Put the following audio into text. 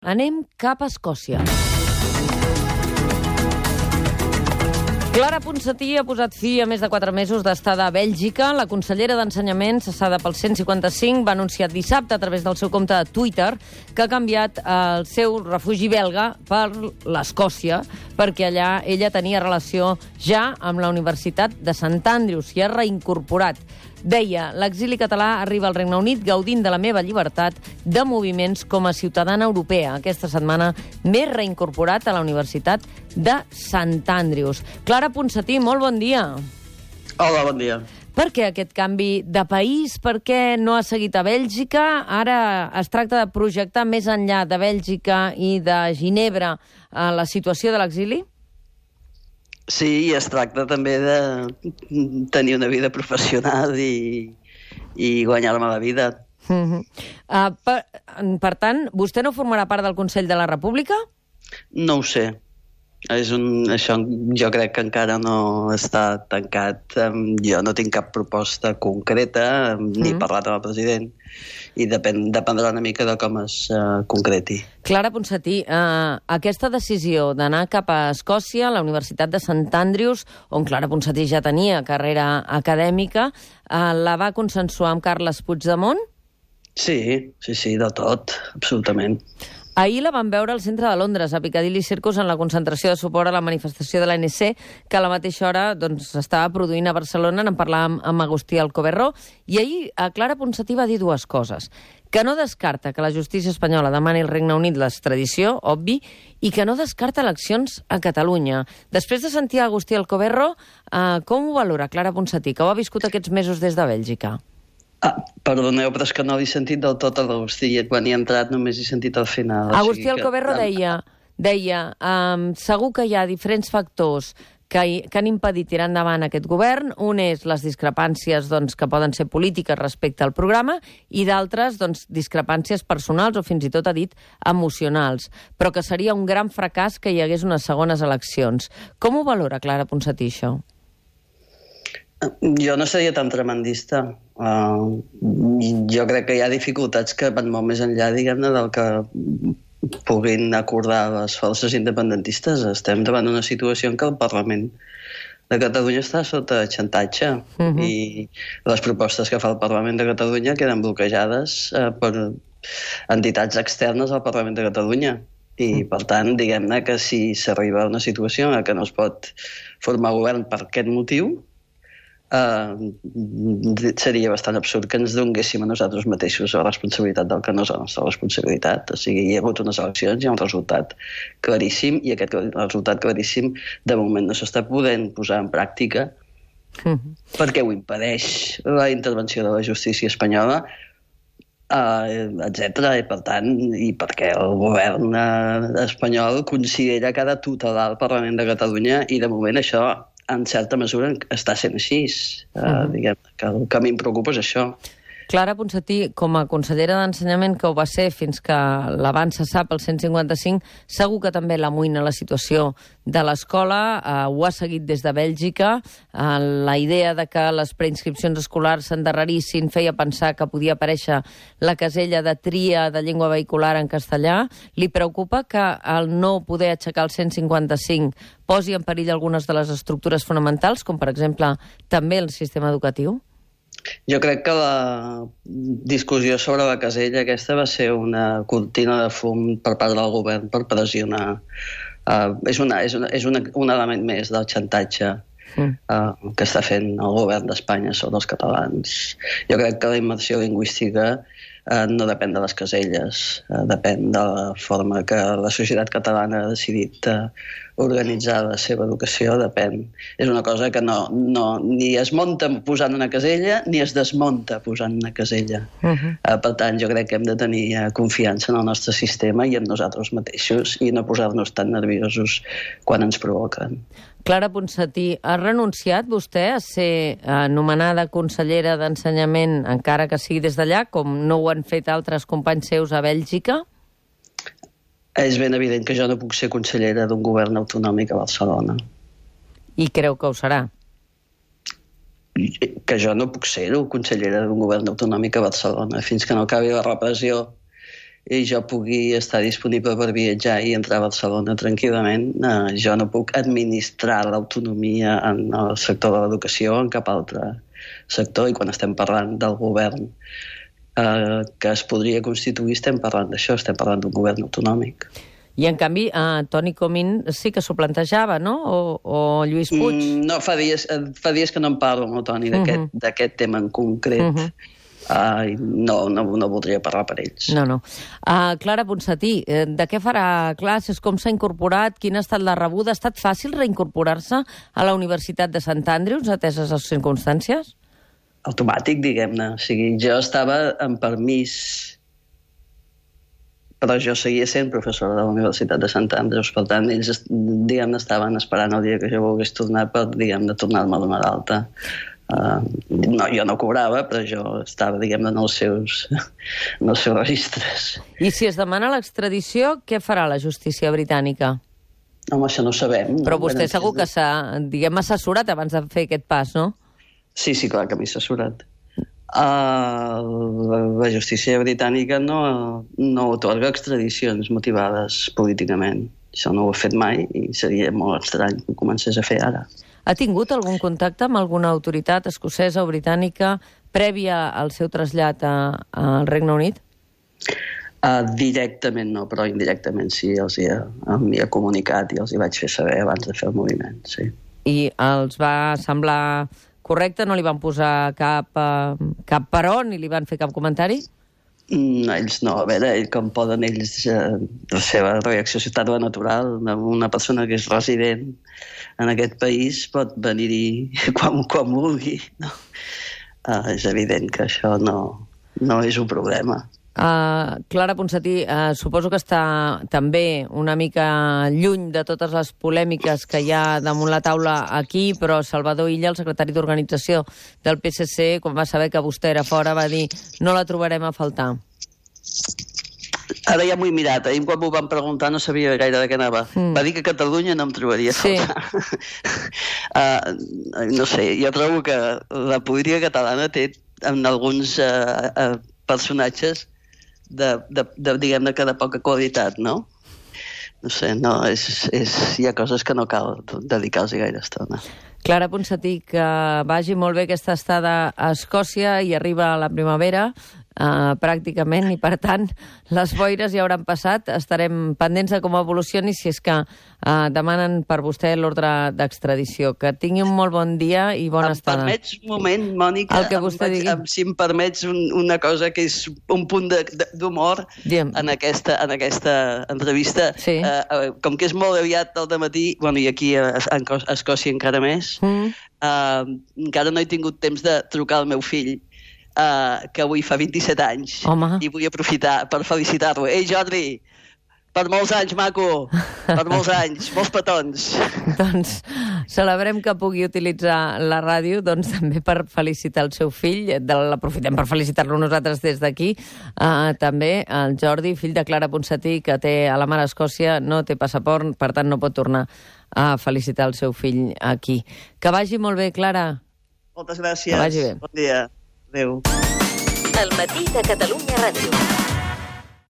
Anem cap a Escòcia. Clara Ponsatí ha posat fi a més de 4 mesos d'estada a Bèlgica. La consellera d'Ensenyament, cessada pel 155, va anunciar dissabte a través del seu compte de Twitter que ha canviat el seu refugi belga per l'Escòcia, perquè allà ella tenia relació ja amb la Universitat de Sant Andrews i ha reincorporat. Deia, l'exili català arriba al Regne Unit gaudint de la meva llibertat de moviments com a ciutadana europea. Aquesta setmana m'he reincorporat a la Universitat de Sant Andrews. Clara Ponsatí, molt bon dia. Hola, bon dia. Per què aquest canvi de país? Per què no ha seguit a Bèlgica? Ara es tracta de projectar més enllà de Bèlgica i de Ginebra la situació de l'exili? Sí, i es tracta també de tenir una vida professional i guanyar-me la vida. Per tant, vostè no formarà part del Consell de la República? No ho sé. Això jo crec que encara no està tancat. Jo no tinc cap proposta concreta, ni parlat amb el president, i dependrà una mica de com es concreti. Clara Ponsatí, aquesta decisió d'anar cap a Escòcia, a la Universitat de Sant Andrews, on Clara Ponsatí ja tenia carrera acadèmica, la va consensuar amb Carles Puigdemont? Sí, de tot, absolutament. Ahir la van veure al centre de Londres, a Piccadilly Circus, en la concentració de suport a la manifestació de l'ANC, que a la mateixa hora s'estava produint a Barcelona. En parlàvem amb Agustí Alcoberro, i ahir Clara Ponsatí va dir dues coses. Que no descarta que la justícia espanyola demani al Regne Unit l'extradició, obvi, i que no descarta eleccions a Catalunya. Després de sentir Agustí Alcoberro, com ho valora Clara Ponsatí, que ho ha viscut aquests mesos des de Bèlgica? Perdoneu, però és que no l'he sentit del tot a l'Agustí. Quan hi he entrat només he sentit al final. Agustí Alcoberro deia segur que hi ha diferents factors que han impedit tirar endavant aquest govern. Un és les discrepàncies que poden ser polítiques respecte al programa i d'altres discrepàncies personals o fins i tot ha dit emocionals, però que seria un gran fracàs que hi hagués unes segones eleccions. Com ho valora Clara Ponsatí, això? Jo no seria tan tremendista. Jo crec que hi ha dificultats que van molt més enllà, diguem-ne, del que puguin acordar les forces independentistes. Estem davant d'una situació en què el Parlament de Catalunya està sota xantatge i les propostes que fa el Parlament de Catalunya queden bloquejades per entitats externes al Parlament de Catalunya. I, per tant, diguem-ne que si s'arriba a una situació en què no es pot formar govern per aquest motiu, seria bastant absurd que ens donéssim a nosaltres mateixos la responsabilitat del que no és la nostra responsabilitat. O sigui, hi ha hagut unes eleccions, hi ha un resultat claríssim, i aquest resultat claríssim de moment no s'està podent posar en pràctica perquè ho impedeix la intervenció de la justícia espanyola, etcètera, i per tant, i perquè el govern espanyol considera que ha de tutelar el Parlament de Catalunya, i de moment això en certa mesura està sent així. Diguem que el que a mi em preocupa és això. Clara Ponsatí, com a consellera d'Ensenyament, que ho va ser fins que la van cessar pel 155, segur que també l'amoïna la situació de l'escola, ho ha seguit des de Bèlgica, la idea de que les preinscripcions escolars s'endarrerissin feia pensar que podia aparèixer la casella de tria de llengua vehicular en castellà. Li preocupa que el no poder aixecar el 155 posi en perill algunes de les estructures fonamentals, com per exemple també el sistema educatiu? Jo crec que la discussió sobre la casella aquesta va ser una cortina de fum per part del govern per pressionar. És un element més del xantatge que està fent el govern d'Espanya sobre els catalans. Jo crec que la immersió lingüística no depèn de les caselles, depèn de la forma que la societat catalana ha decidit organitzar la seva educació, depèn. És una cosa que ni es munta posant una casella ni es desmunta posant una casella. Per tant, jo crec que hem de tenir confiança en el nostre sistema i en nosaltres mateixos i no posar-nos tan nerviosos quan ens provoquen. Clara Ponsatí, ha renunciat vostè a ser nomenada consellera d'Ensenyament, encara que sigui des d'allà, com no ho han fet altres companys seus a Bèlgica? És ben evident que jo no puc ser consellera d'un govern autonòmic a Barcelona. I creu que ho serà? Que jo no puc ser consellera d'un govern autonòmic a Barcelona fins que no acabi la repressió i jo pugui estar disponible per viatjar i entrar a Barcelona tranquil·lament, jo no puc administrar l'autonomia en el sector de l'educació o en cap altre sector, i quan estem parlant del govern que es podria constituir, estem parlant d'això, estem parlant d'un govern autonòmic. I, en canvi, Toni Comín sí que s'ho plantejava, no? O Lluís Puig? No, fa dies que no en parlo amb el Toni d'aquest tema en concret. No voldria parlar per ells. No. Clara Ponsatí, de què farà classes? Com s'ha incorporat? Quina ha estat la rebuda? Ha estat fàcil reincorporar-se a la Universitat de Sant Andrews, ateses les circumstàncies? Automàtic, diguem-ne. O sigui, jo estava en permís, però jo seguia sent professora de la Universitat de Sant Andrews. Per tant, ells, diguem-ne, estaven esperant el dia que jo volgués tornar per, diguem-ne, tornar-me a donar d'alta. No, jo no cobrava, però jo estava, diguem-ne, en els seus registres. I si es demana l'extradició, què farà la justícia britànica? Home, això no ho sabem. Però vostè segur que s'ha, diguem, assessorat abans de fer aquest pas, no? Sí, clar que m'he assessorat. La justícia britànica no atorga extradicions motivades políticament. Això no ho he fet mai i seria molt estrany que ho comencés a fer ara. Ha tingut algun contacte amb alguna autoritat escocesa o britànica prèvia al seu trasllat al Regne Unit? Directament no, però indirectament sí, m'hi ha comunicat i els hi vaig fer saber abans de fer el moviment, sí. I els va semblar correcte? No li van posar cap però ni li van fer cap comentari? No, ells no. A veure, com poden ells... La seva reacció ha estat natural. Una persona que és resident en aquest país pot venir-hi quan vulgui. No? És evident que això no és un problema. Clara Ponsatí, suposo que està també una mica lluny de totes les polèmiques que hi ha damunt la taula aquí, però Salvador Illa, el secretari d'organització del PSC, quan va saber que vostè era fora, va dir no la trobarem a faltar. Ara ja m'ho he mirat. Ahir quan m'ho van preguntar no sabia gaire de què anava. Va dir que a Catalunya no em trobaria a faltar. No sé, jo trobo que la política catalana té en alguns personatges diguem-ne que de poca qualitat, no? No sé, hi ha coses que no cal dedicar-los gaire estona. Clara Ponsatí, que vagi molt bé aquesta estada a Escòcia i arriba a la primavera, pràcticament, i per tant les boires ja hauran passat. Estarem pendents de com evolucioni si és que demanen per vostè l'ordre d'extradició. Que tingui un molt bon dia i bona estada. Em permets un moment, Mònica? El que vostè digui. Si em permets una cosa que és un punt d'humor en aquesta entrevista. Sí. Com que és molt aviat al dematí, i aquí a Escòcia encara més, encara no he tingut temps de trucar al meu fill, que avui fa 27 anys. Home. I vull aprofitar per felicitar-lo. Ei, Jordi, per molts anys, maco, per molts anys, molts petons. Doncs celebrem que pugui utilitzar la ràdio també per felicitar el seu fill. L'aprofitem per felicitar-lo nosaltres des d'aquí. També el Jordi, fill de Clara Ponsatí, que té a la mar a Escòcia, no té passaport, per tant no pot tornar a felicitar el seu fill aquí. Que vagi molt bé, Clara. Moltes gràcies. Que vagi bé. Bon dia. Adéu. El matí de Catalunya Ràdio.